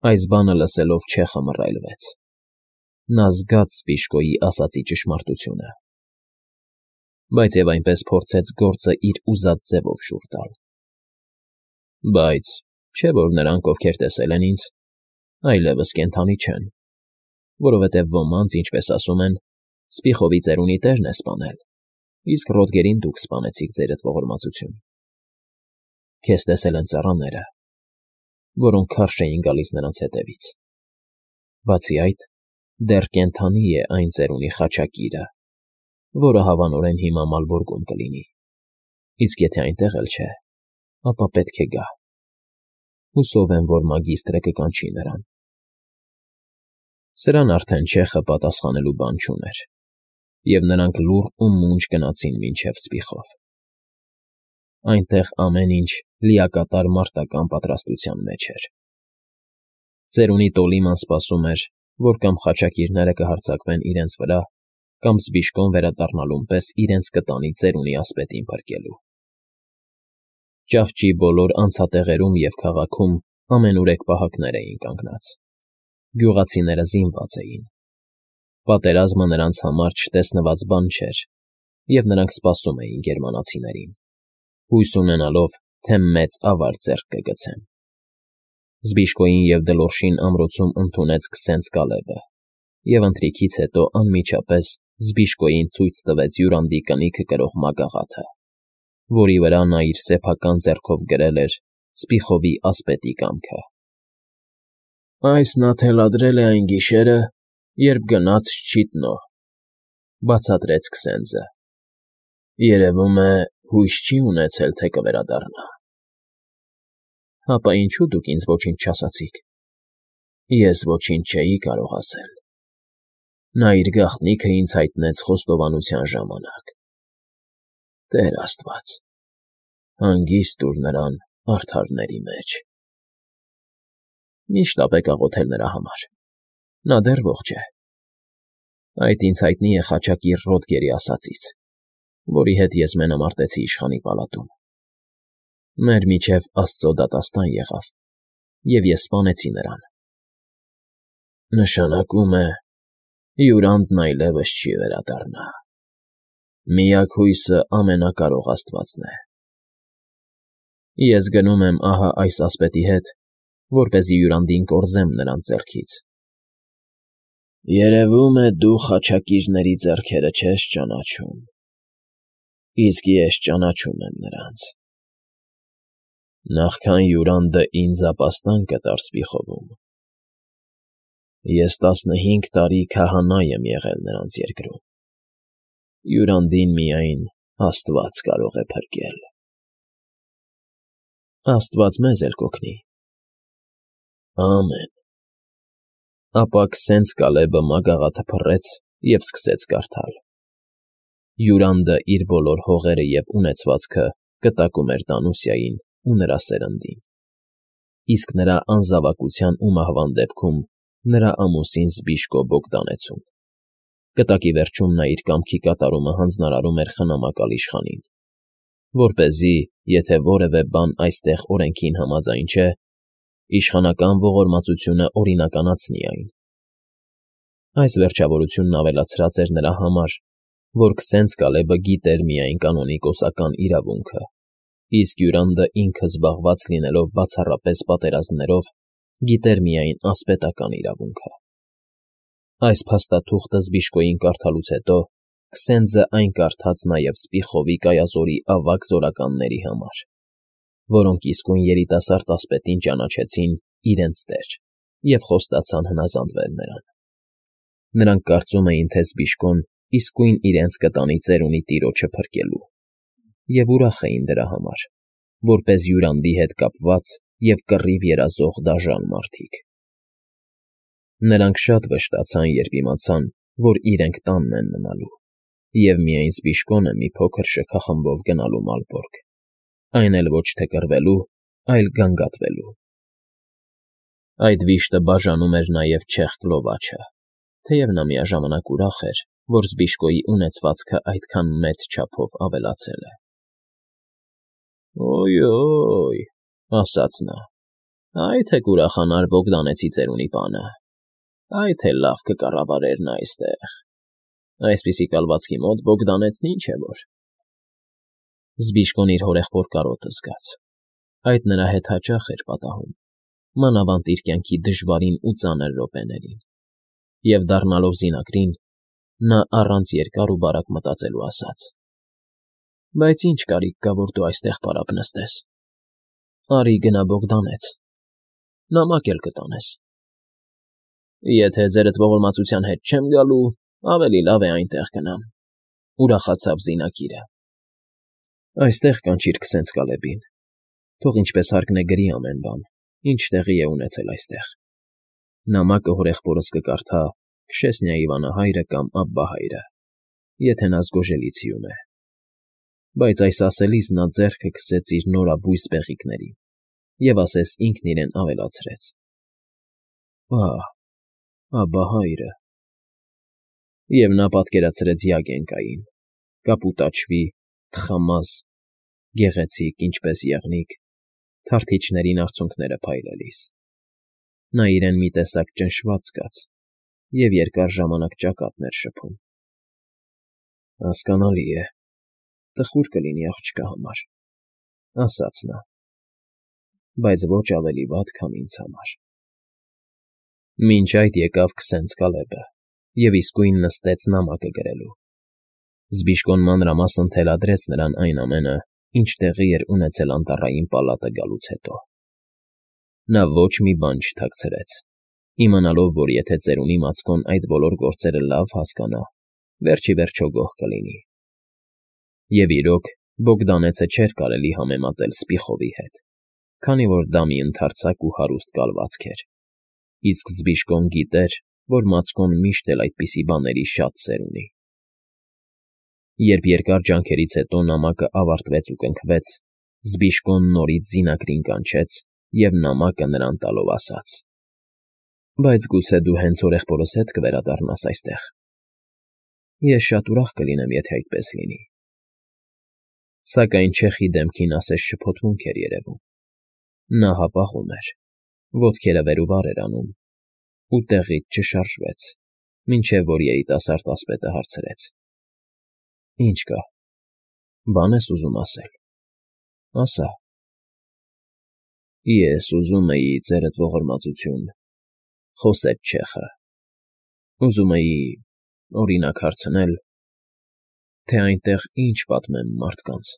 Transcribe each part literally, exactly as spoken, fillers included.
Այս բանը լսելով չեխը մռայլվեց. նա զգաց Սպիժկոյի ասածի ճշմարտությունը, բայց և այնպես փորձեց գործը իր ուզած ձևով շուռ տալ։ Բայց չէ՞ որ նրանք, ովքեր տեսել են ինձ, այլևս կենդանի չեն, որովհետև ոմանց, ինչպես ասում են, Սպիխովի ծերունի տերն է սպանել, իսկ Ռոդգերին դուք սպանեցիք ձերդ ողորմածություն։ Քեզ տեսել են ծառաները, որոնք քարշ էին գալիս նրանց հետևից։ Բացի այդ, դեռ կենդանի է այն ծերունի խաչակիրը, որը հավանորեն հիմա Մալվորգում կլինի, իսկ եթե այնտեղ էլ չէ, ապա պետք է գա։ Հուսով եմ, որ մագիստրը կկանչի նրան։ Սրան արդեն չեխը պատասխանելու բան չուներ, և նրանք լուռ ու մունջ գնացին մինչև Սպիխով։ Այնտեղ ամեն ինչ լիակատար մարտական պատրաստության մեջ էր։ Ծերունի Տոլիման սպասում էր, որ կամ խաչակիրները կհարձակվեն իրենց վրա, կամ Սպիժկոն վերադառնալուն պես իրենց կտանի ծերունի ասպետին փրկելու։ Ճահճի բոլոր անցատեղերում և քաղաքում ամենուրեք պահակներ էին կանգնած։ Գյուղացիները զինված էին։ Պատերազմը նրանց համար չտեսնված բան չէր, և նրանք սպասում էին գերմանացիներին, հույս ունենալով, թե մեծ ավարտ ձեռք կգցեն։ Սպիժկոյին և Դլորշին ամրոցում ընդունեց Քսենց Կալեբը, և ընթրիքից հետո անմիջապես Սպիժկոյին ցույց տվեց յուրանդի կնիքը կրող մագաղաթը, որի վրա նա իր սեփական ձեռքով գրել էր Սպիխովի ասպետի կամքը։ «Այս նա թելադրել է այն գիշերը, երբ գնաց Շչիտնո,֊ բացատրեց Քսենձը։ Երևում է, հույս չի ունեցել, թե կվերադառնա»։ Հապա ինչո՞ւ դուք ինձ ոչինչ չասացիք։ Ես ոչինչ չէի կարող ասել։ Նա իր գաղտնիքը ինձ հայտնեց խոստովանության ժամանակ։ Տեր աստված, հանգիստ տուր նրան արդարների մեջ։ Մի՛ շտապեք աղոթել նրա համար, նա դեռ ողջ է։ Այդ ինձ հայտնի է խաչակիր Ռոդգերի ասածից, որի հետ ես մենամարտեցի իշխանի պալատում։ Մեր միջև Աստծո դատաստան եղավ, և ես սպանեցի նրան։ Նշանակում է, Յուրանդն այլևս չի վերադառնա։ Միակ հույսը Ամենակարող Աստվածն է։ Ես գնում եմ ահա այս ասպետի հետ, որպեսզի Յուրանդին կորզեմ նրանց ձեռքից։ Երևում է, դու խաչակիրների ձեռքերը չես ճանաչում, իսկ ես ճանաչում եմ նրանց։ Նախքան Յուրանդը ինձ ապաստան կտար Սպիխովում, ես տասնհինգ տարի քահանա եմ եղել նրանց երկրում։ Յուրանդին միայն Աստված կարող է փրկել։ Աստված մեզ էլ կօգնի։ Ամեն։ Ապա Քսենց Կալեբը մագաղաթը փռեց և սկսեց կարդալ։ Յուրանդը իր բոլոր հողերը և ունեցվածքը կտակում էր Տանուսիային ու նրա սերնդին, իսկ նրա անզավակության ու մահվան դեպքում նրա ամուսին Սպիժկո Բոգդանեցուն։ Կտակի վերջում նա իր կամքի կատարումը հանձնարարում էր խնամակալ իշխանին, որպեսզի, եթե որևէ բան այստեղ օրենքին համաձայն չէ, իշխանական ողորմածությունը օրինականացնի այն։ Այս վերջավորությունն ավելացրած էր նրա համար, որ Քսենց Կալեբը գիտեր միայն կանոնիկոսական իրավունքը, իսկ Յուրանդը ինքը զբաղված լինելով բացառապես պատերազմներով, գիտեր միայն ասպետական իրավունքը։ Այս փաստաթուղթը Սպիժկոյին կարդալուց հետո Քսենձը այն կարդաց նաև Սպիխովի կայազորի ավագ զորականների համար, որոնք իսկույն երիտասարդ ասպետին ճանաչեցին իրենց տեր և խոստացան հնազանդվել նրան։ Նրանք կարծում էին, թե Սպիժկոն իսկույն իրենց կտանի ծերունի տիրոջը փրկելու, և ուրախ էին դրա համար, որպես Յուրանդի հետ կապված և կռիվ երազող դաժան մարդիկ։ Նրանք շատ վշտացան, երբ իմացան, որ իրենք տանն են մնալու, և միայն Սպիժկոն է մի փոքր շքախմբով գնալու Մալբորգ, այն էլ ոչ թե կռվելու, այլ գանգատվելու։ Այդ վիշտը բաժանում էր նաև չեխ Կլովաչը, թեև նա միաժամանակ ուրախ էր, որ Սպիժկոյի ունեցվածքը այդքան մեծ չափով ավելացել է։ Օյ֊օյ, ասաց նա, Այ թե կուրախանար Բոգդանեցի ծերունի պանը, այ թե լավ կկառավարեր նա այստեղ, այսպիսի կալվածքի մոտ Բոգդանեցն ինչ է որ… Զբիշկոն իր հորեղբոր կարոտը զգաց, այդ նրա հետ հաճախ էր պատահում, մանավանդ իր կյանքի դժվարին ու ծանր րոպեներին, և, դառնալով զինակրին, նա առանց երկար ու բարակ մտածելու ասաց. «Բայց ի՞նչ կարիք կա, որ դու այստեղ պարապ նստես… Արի գնա Բոգդանեց, նամակ էլ կտանես»։ «Եթե ձերդ ողորմածության հետ չեմ գալու, ավելի լավ է այնտեղ գնամ,֊ ուրախացավ զինակիրը։ ֊ Այստեղ կանչիր քսենց Կալեբին, թող ինչպես հարկն է գրի ամեն բան, ինչ տեղի է ունեցել այստեղ… Նամակը հորեղբորս կկարդա Քշեսնիայի վանահայրը կամ Աբբահայրը, եթե նա զգոժելի ցիում է… Բայց այս ասելիս նա ձեռքը քսեց իր նորաբույս բեղիկներին և ասես ինքն իրեն ավելացրեց. «Ահ, Աբբահայրը…» Եվ նա պատկերացրեց Յագենկային, կապուտաչվի, թխամազ, գեղեցիկ, ինչպես եղնիկ, թարթիչներին արցունքները փայլելիս… Նա իրեն մի տեսակ ճնշված զգաց և երկար ժամանակ ճակատներ շփում։ «Հասկանալի է, տխուր կլինի աղջկա համար,֊ ասաց նա,֊ բայց ոչ ավելի վատ, քան ինձ համար»։ Մինչ այդ եկավ քսենց Կալեբը և իսկույն նստեց նամակը գրելու։ Զբիշկոն մանրամասն թելադրեց նրան այն ամենը, ինչ տեղի էր ունեցել անտառային պալատը գալուց հետո։ Նա ոչ մի բան չթաքցրեց, իմանալով, որ եթե ծերունի Մացկոն այդ բոլոր գործերը լավ հասկանա, վերջ ի վերջո գոհ կլինի։ Եվ, իրոք, Բոգդանեցը չէր կարելի համեմատել Սպիխովի հետ, քանի որ դա մի ընդարձակ ու հարուստ կալվածք էր, իսկ Զբիշկոն գիտեր, որ Մացկոն միշտ էլ այդպիսի բաների շատ սեր ունի։ Երբ երկար ջանքերից հետո նամակը ավարտվեց ու կնքվեց, Զբիշկոն նորից զինակրին կանչեց և նամակը նրան տալով ասաց. «Բայց գուցե դու հենց հորեղբորս հետ կվերադառնաս այստեղ… Ես շատ ուրախ կլինեմ, եթե այդպես լինի»։ Սակայն չեխի դեմքին ասես շփոթմունք էր երևում. նա հապաղում էր, ոտքերը վեր ու վար էր անում ու տեղից չշարժվեց, մինչև որ երիտասարդ ասպետը հարցրեց. «Ի՞նչ կա, բան ես ուզում ասել… Ասա»։ «Ես ուզում էի, ձերդ ողորմածություն,֊ խոսեց չեխը,֊ ուզում էի, օրինակ, հարցնել, թե այնտեղ ինչ պատմեն մարդկանց»։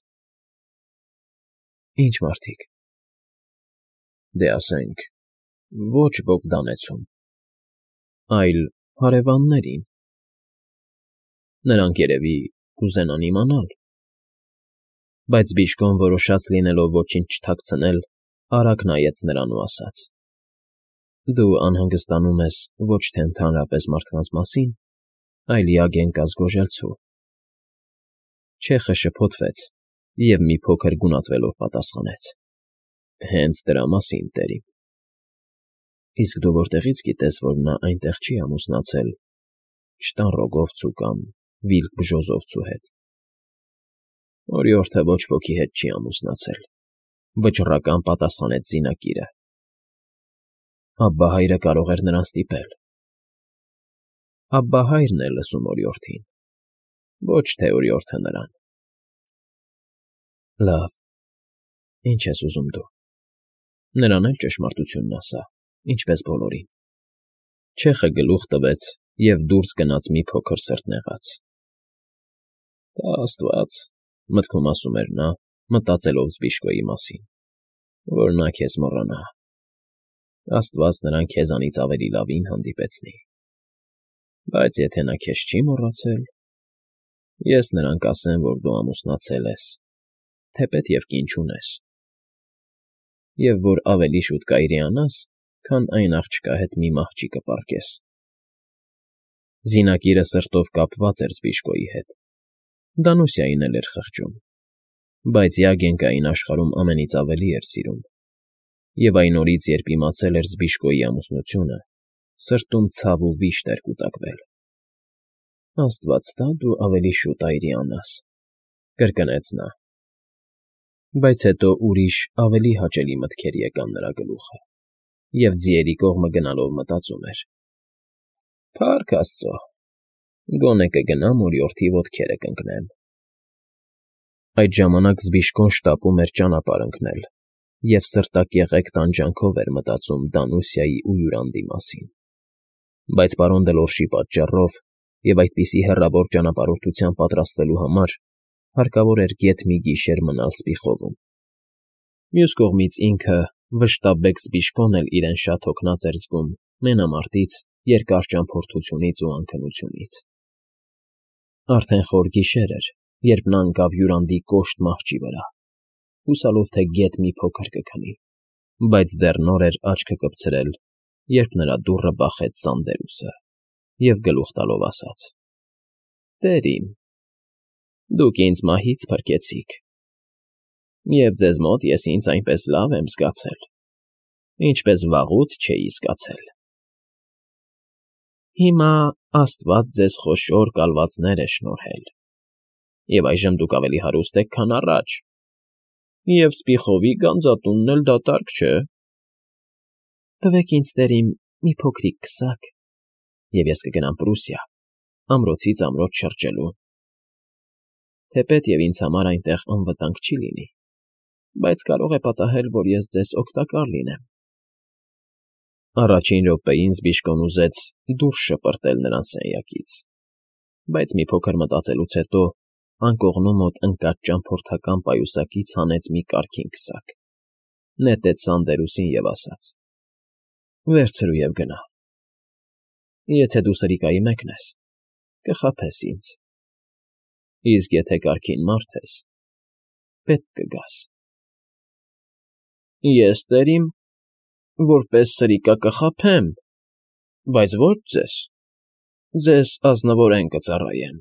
«Ի՞նչ մարդիկ»։ «Դե, ասենք, ոչ Բոգդանեցում, այլ հարևաններին… Նրանք, երևի, կուզենան իմանալ»։ Բայց Զբիշկոն, որոշած լինելով ոչինչ չթաքցնել, արագ նայեց նրան ու ասաց. «Դու անհանգստանում ես ոչ թե ընդհանրապես մարդկանց մասին, այլ Յագենկա Զգոժելցու…»։ Չեխը շփոթվեց և, մի փոքր գունատվելով, պատասխանեց. «Հենց դրա մասին, տերիմ»։ «Իսկ դու որտեղի՞ց գիտես, որ նա այնտեղ չի ամուսնացել Չտանռոգովցու կամ Վիլք Բժոզովցու հետ»։ «Օրիորդը ոչ ոքի հետ չի ամուսնացել,֊ վճռական պատասխանեց զինակիրը։ Աբբահայրը կարող էր նրան ստիպել»։ «Աբբահայրն է լսում օրիորդին, ոչ թե օրիորդը նրան»։ «Լավ, ի՞նչ ես ուզում դու… Նրան էլ ճշմարտությունն ասա, ինչպես բոլորին»։ Չեխը գլուխ տվեց և դուրս գնաց մի փոքր սրտնեղաց։ «Տա աստված,֊ մտքում ասում էր նա, մտածելով Զբիշկոյի մասին,֊ որ նա քեզ մոռանա… Աստված նրան քեզանից ավելի լավին հանդիպեցնի… Բայց եթե նա քեզ չի մոռացել, ես նրան կասեմ, որ դու ամուսնացել ես, թեպետ և կին չունես… Եվ որ ավելի շուտ կայրիանաս, քան այն աղջկա հետ մի մահճի կպառկես»։ Զինակիրը սրտով կապված էր Զբիշկոյի հետ, Դանուսիային էլ էր խղճում, բայց Յագենկային աշխարհում ամենից ավելի էր սիրում, և այն օրից, երբ իմացել էր Զբիշկոյի ամուսնությունը, սրտում ցավ ու վիշտ էր կուտակվել։ «Աստված տա, դու ավելի շուտ այրիանաս,֊ կրկնեց նա։ Բայց հետո ուրիշ, ավելի հաճելի մտքեր եկան նրա գլուխը։ և ձիերի կողմը գնալով մտածում էր. «Փառք աստծո, գոնե կգնամ ու լյորդի ոտքերը կընկնեմ»։ Այդ ժամանակ Զբիշկոն շտապում էր ճանապարհ ընկնել և սրտակեղեկ տանջանքով էր մտածում Դանուսիայի ու Յուրանդի մասին, բայց պարոն Դլորշի պատճառով և այդպիսի հեռավոր ճանապարհորդության պատրաստվելու համար հարկավոր էր գեթ մի գիշեր մնալ Սպիխովում։ Մյուս կողմից ինքը՝ վշտաբեկ Զբիշկոն էլ իրեն շատ հոգնած էր զգում մենամարտից, երկար ճամփորդությունից ու անքնությունից։ Արդեն խոր գիշեր էր, երբ նա ընկավ Յուրանդի կոշտ մահճի վրա, հուսալով, թե գեթ մի փոքր կքնի, բայց դեռ նոր էր աչքը կպցրել, երբ նրա դուռը բախեց Սանդերուսը և գլուխ տալով ասաց. «Տեր իմ, դուք ինձ մահից փրկեցիք, և ձեզ մոտ ես ինձ այնպես լավ եմ զգացել, ինչպես վաղուց չէի զգացել։ Հիմա աստված ձեզ խոշոր կալվածներ է շնորհել, և այժմ դուք ավելի հարուստ եք, քան առաջ, և Սպիխովի գանձատունն էլ դատարկ չէ։ Տվեք ինձ, տեր իմ, մի փոքրիկ քսակ, և ես կգնամ Պրուսիա, ամրոցից ամրոց շրջելու։ Թեպետ և ինձ համար այնտեղ անվտանգ չի լինի, բայց կարող է պատահել, որ ես ձեզ օգտակար լինեմ»։ Առաջին րոպեին Զբիշկոն ուզեց դուրս շպրտել նրան սենյակից, բայց մի փոքր մտածելուց հետո անկողնու մոտ ընկած ճամփորդական պայուսակից հանեց մի կարքին քսակ, նետեց Սանդերուսին և ասաց. «Վերցրու և գնա։ Եթե դու սրիկայի մեկն ես, կխաբես ինձ, իսկ եթե կարգին մարդ ես, պետք կգաս»։ Ես, տեր իմ, որպես սրիկա կխաբեմ, բայց ոչ ձեզ, ձեզ ազնվորեն կծառայեմ։